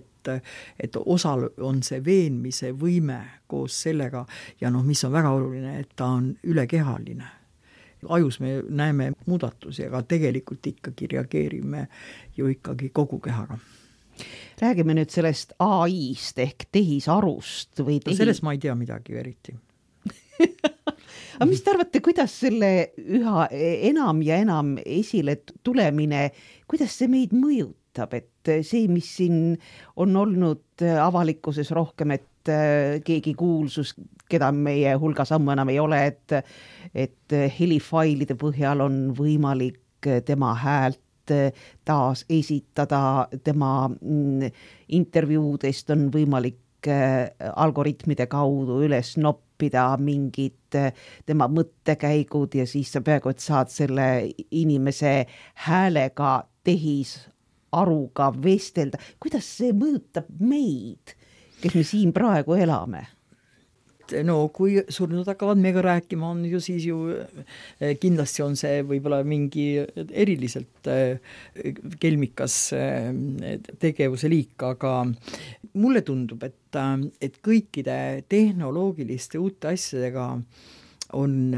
et osal on see veenmise võime koos sellega ja mis on väga oluline, et ta on ülekehaline. Ajus me näeme muudatusi, aga tegelikult ikkagi reageerime ju ikkagi kogu kehaga. Räägime nüüd sellest AI-st ehk tehisarust või sellest ma ei tea midagi eriti. Aga mis te arvate, kuidas selle üha enam ja enam esile tulemine, kuidas see meid mõjutab, et see, mis siin on olnud avalikkuses rohkem, et keegi kuulsus, keda meie hulgas ammu enam ei ole, et helifailide põhjal on võimalik tema häält taas esitada, tema intervjuudest on võimalik algoritmide kaudu üles noppida mingid tema mõttekäigud ja siis sa peaaegu, et saad selle inimese häälega tehisaruga vestelda. Kuidas see mõjutab meid, kes me siin praegu elame? Kui surnud hakkavad meiega rääkima, on ju siis kindlasti on see võib-olla mingi eriliselt kelmikas tegevuse liik, aga mulle tundub, et kõikide tehnoloogiliste uute asjadega on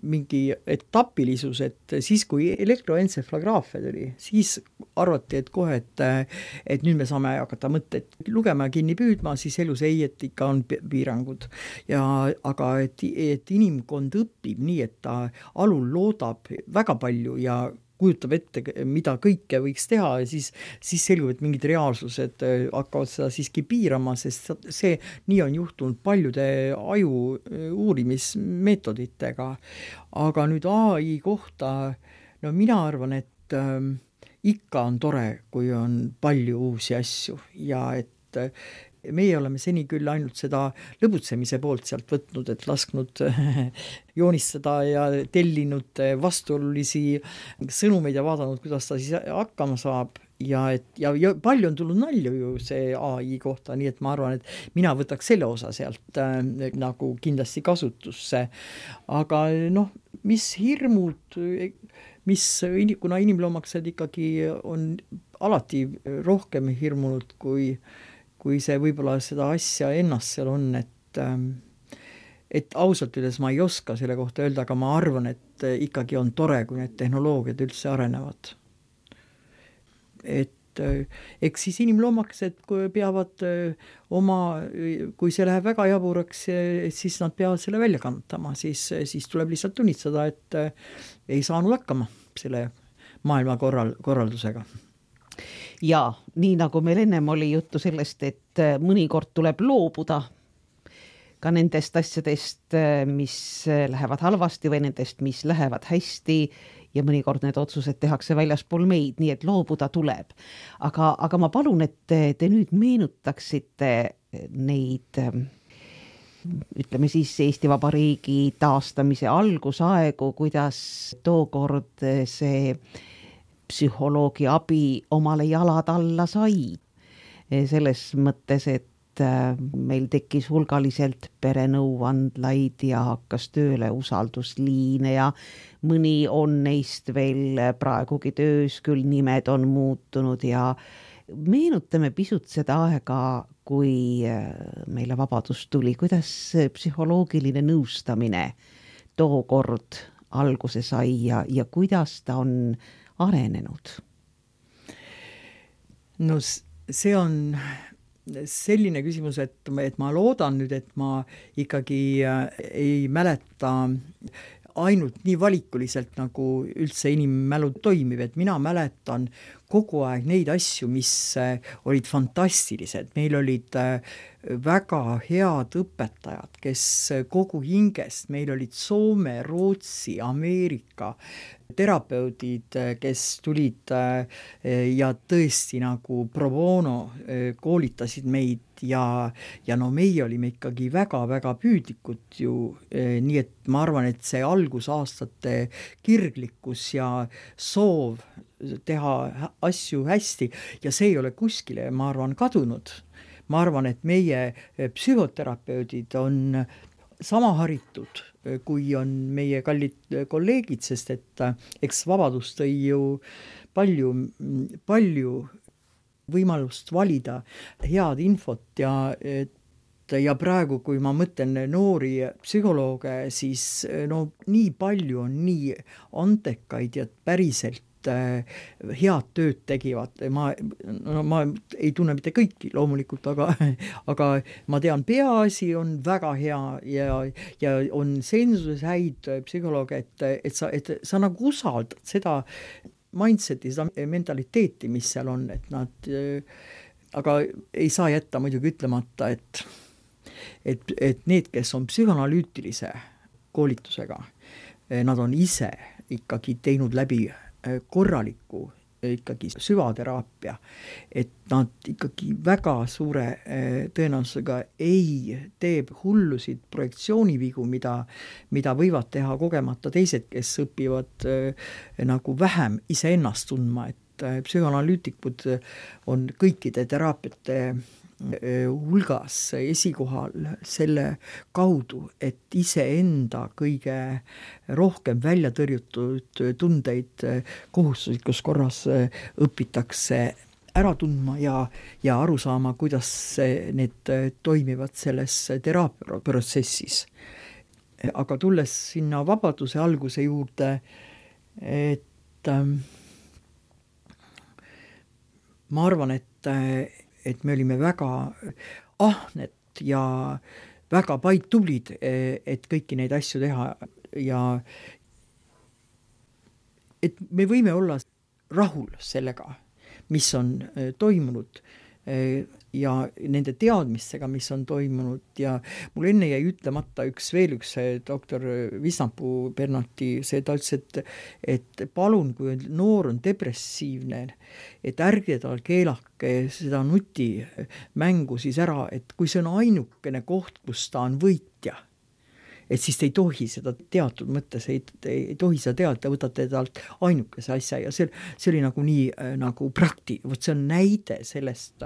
mingi etapilisus, et siis, kui elektroensefalograafia tuli, siis arvati, et kohe, et nüüd me saame hakata mõtteid lugema ja kinni püüdma, siis elus ei, et ikka on piirangud. Aga et inimkond õpib nii, et ta alul loodab väga palju ja kujutab ette, mida kõike võiks teha ja siis selgub, et mingid reaalsused hakkavad seda siiski piirama, sest see nii on juhtunud paljude aju uurimismeetoditega. Aga nüüd AI kohta, mina arvan, et ikka on tore, kui on palju uusi asju ja et meie oleme seni küll ainult seda lõbutsemise poolt sealt võtnud, et lasknud joonistada ja tellinud vastuolulisi sõnumeid ja vaadanud, kuidas ta siis hakkama saab. Ja palju on tulnud nalju ju see AI kohta, nii et ma arvan, et mina võtaks selle osa sealt nagu kindlasti kasutusse. Aga mis hirmud, kuna inimloomaksed ikkagi on alati rohkem hirmunud, kui see võib-olla seda asja ennast seal on, et ausalt üles ma ei oska selle kohta öelda, aga ma arvan, et ikkagi on tore, kui need tehnoloogiad üldse arenevad. Et eks siis inimloomaksed peavad kui see läheb väga jaburaks, siis nad peavad selle välja kantama, siis tuleb lihtsalt tunnistada, et ei saanud hakkama selle maailma korraldusega. Ja nii nagu meil ennem oli juttu sellest, et mõnikord tuleb loobuda, ka nendest asjadest, mis lähevad halvasti või nendest, mis lähevad hästi ja mõnikord need otsused tehakse väljaspool meid, nii et loobuda tuleb. Aga ma palun, et te nüüd meenutaksite neid, ütleme siis Eesti Vabariigi taastamise algusaegu, kuidas tookord see psühholoogi abi omale jalad alla sai. Selles mõttes, et meil tekkis hulgaliselt perenõuandlaid ja hakkas tööle usaldusliine ja mõni on neist veel praegugi töös, küll nimed on muutunud ja meenutame pisut seda aega, kui meile vabadus tuli, kuidas psühholoogiline nõustamine tookord alguse sai ja kuidas ta on arenenud? No see on selline küsimus, et ma loodan nüüd, et ma ikkagi ei mäleta ainult nii valikuliselt, nagu üldse inimmälu toimib, et mina mäletan kogu aeg neid asju, mis olid fantastilised. Meil olid väga head õpetajad, kes kogu hingest, meil olid Soome, Rootsi, Ameerika terapeudid, kes tulid ja tõesti nagu pro bono koolitasid meid ja no meie olime ikkagi väga-väga püüdlikud ju, nii et ma arvan, et see algusaastate kirglikkus ja soov teha asju hästi ja see ei ole kuskile, ma arvan, kadunud. Ma arvan, et meie psühhoterapeudid on sama haritud, kui on meie kallid kolleegid, sest et eks vabadus tõi ju palju võimalust valida head infot ja praegu, kui ma mõtlen noori psühholooge, siis no nii palju on nii antekaid ja päriselt head tööd tegivad. Ma ei tunne mitte kõiki loomulikult, aga ma tean, peaasi on väga hea ja on sensuses häid psühholooge, et sa nagu usaldad seda mindseti, seda mentaliteeti, mis seal on, et nad, aga ei saa jätta muidugi ütlemata, et need, kes on psühhoanalüütilise koolitusega, nad on ise ikkagi teinud läbi korraliku ikkagi süvateraapia, et nad ikkagi väga suure tõenäosusega ei tee hullusid projektsioonivigu, mida võivad teha kogemata teised, kes õpivad nagu vähem iseennast tundma, et psühhoanalüütikud on kõikide teraapiate hulgas esikohal selle kaudu, et iseenda kõige rohkem välja tõrjutud tundeid kohustuslikus korras õpitakse ära tundma ja aru saama, kuidas need toimivad selles teraapiaprotsessis. Aga tulles sinna vabaduse alguse juurde, et ma arvan, et me olime väga ahned ja väga tublid, et kõiki neid asju teha ja et me võime olla rahul sellega, mis on toimunud ja nende teadmistega, mis on toimunud ja mul enne jäi ütlemata veel üks doktor Visnapu Bernati, ta ütles, et palun, kui noor on depressiivne, et ärge tal keelake seda nutimängu siis ära, et kui see on ainukene koht, kus ta on võitja, et siis te ei tohi seda teatud mõttes, ei tohi seda teada, võtate talt ainukese asja ja see oli nagu nii nagu see on näide sellest,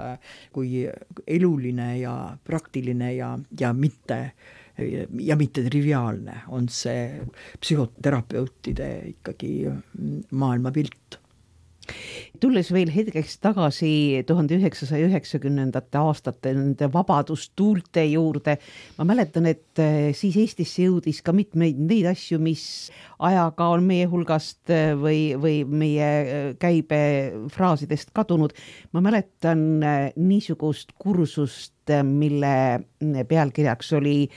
kui eluline ja praktiline ja mitte triviaalne on see psühhoterapeutide ikkagi maailmapilt. Tulles veel hetkeks tagasi 1990. aastate nende vabadustuulte juurde, ma mäletan, et siis Eestisse jõudis ka mitmeid neid asju, mis ajaga on meie hulgast või meie käibefraasidest kadunud. Ma mäletan niisugust kursust, mille pealkirjaks oli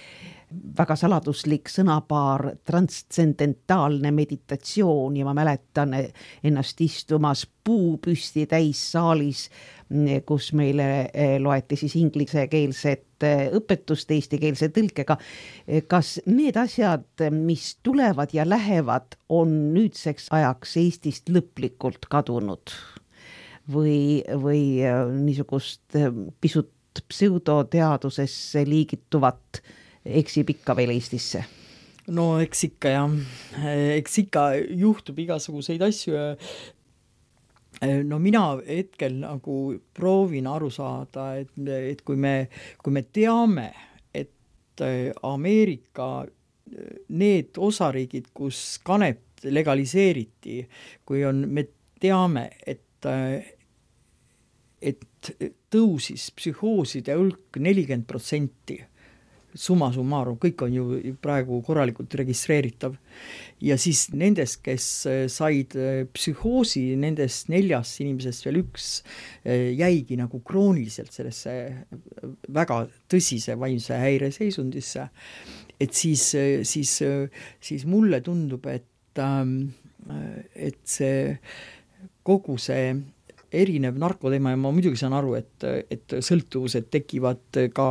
väga saladuslik sõnapaar transscendentaalne meditatsioon ja ma mäletan ennast istumas puupüsti täis saalis kus meile loeti siis inglisekeelset õpetust eestikeelse tõlkega. Kas need asjad, mis tulevad ja lähevad, on nüüdseks ajaks Eestist lõplikult kadunud või niisugust pisut pseudoteadusesse liigituvat eksib ikka veel Eestisse? No eks ikka jah, eks ikka juhtub igasuguseid asju ja no mina hetkel nagu proovin aru saada, et kui me teame, et Ameerika need osariigid, kus kanep legaliseeriti, me teame, et tõusis psühhooside hulk 40%, summa summarum, kõik on ju praegu korralikult registreeritav. Ja siis nendest, kes said psühhoosi, nendest 4 inimesest veel 1 jäigi nagu krooniliselt sellesse väga tõsise vaimse häire seisundisse. Et siis mulle tundub, et see kogu see erinev narkoteema ja ma muidugi saan aru, et sõltuvused tekivad ka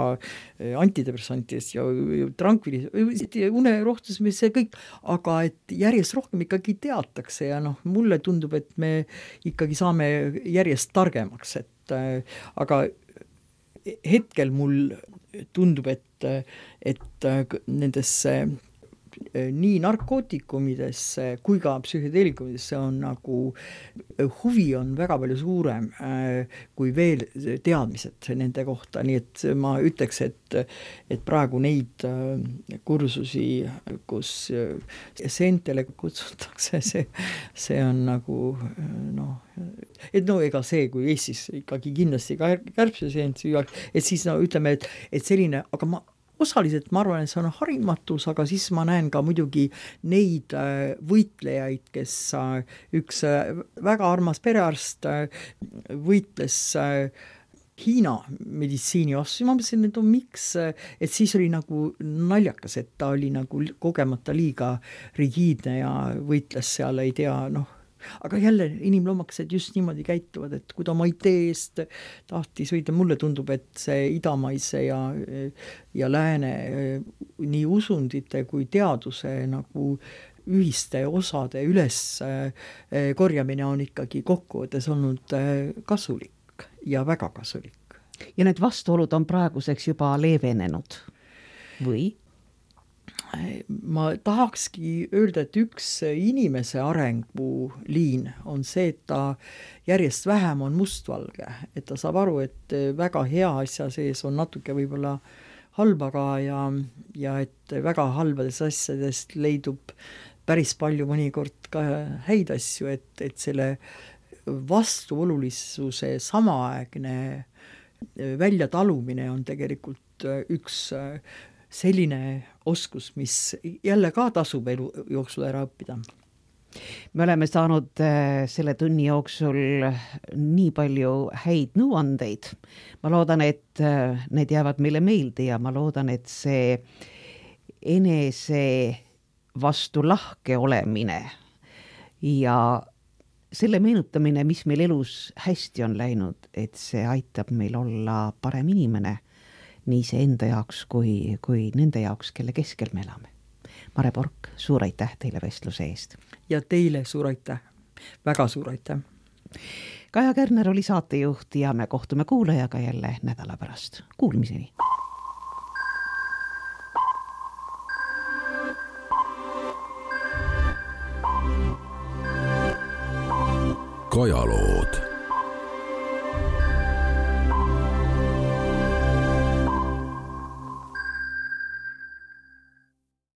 antidepressantidest ja tranquiliseerimisest ja unerohtus, see kõik, aga et järjest rohkem ikkagi teatakse ja mulle tundub, et me ikkagi saame järjest targemaks, aga hetkel mul tundub, et nendesse nii narkootikumidesse kui ka psühhedeelikumidesse on nagu huvi on väga palju suurem kui veel teadmised nende kohta, nii et ma ütleks, et praegu neid kursusi, kus seentele kutsutakse, see on nagu ega see, kui Eestis ikkagi kindlasti kärbseseent süüaks, et siis ütleme, et selline, aga osaliselt ma arvan, et see on harimatus, aga siis ma näen ka muidugi neid võitlejaid, kes üks väga armas perearst võitles Hiina meditsiini vastu. Ma mõtlesin, et miks, et siis oli nagu naljakas, et ta oli nagu kogemata liiga rigiidne ja võitles seal, ei tea, aga jälle inimloomakesed just niimoodi käituvad, et kui ta oma idee eest tahtis võida, mulle tundub, et see idamaise ja lääne nii usundite kui teaduse nagu ühiste osade üles korjamine on ikkagi kokkuvõttes olnud kasulik ja väga kasulik. Ja need vastuolud on praeguseks juba leevenenud või? Ma tahakski öelda, et üks inimese arenguliin on see, et ta järjest vähem on mustvalge, et ta saab aru, et väga hea asja sees on natuke võib-olla halba ka ja et väga halbadest asjadest leidub päris palju mõnikord ka häid asju, et selle vastuolulisuse samaaegne väljatalumine on tegelikult üks selline oskus, mis jälle ka tasub elu jooksul ära õppida. Me oleme saanud selle tunni jooksul nii palju häid nõuandeid. Ma loodan, et need jäävad meile meelde ja ma loodan, et see enese vastu lahke olemine ja selle meenutamine, mis meil elus hästi on läinud, et see aitab meil olla parem inimene nii see enda jaoks kui nende jaoks, kelle keskel me elame. Mare Pork, suur aitäh teile vestluse eest. Ja teile suur aitäh, väga suur aitäh. Kaja Kärner oli saatejuht ja me kohtume kuulajaga jälle nädala pärast. Kuulmiseni! Kajalood.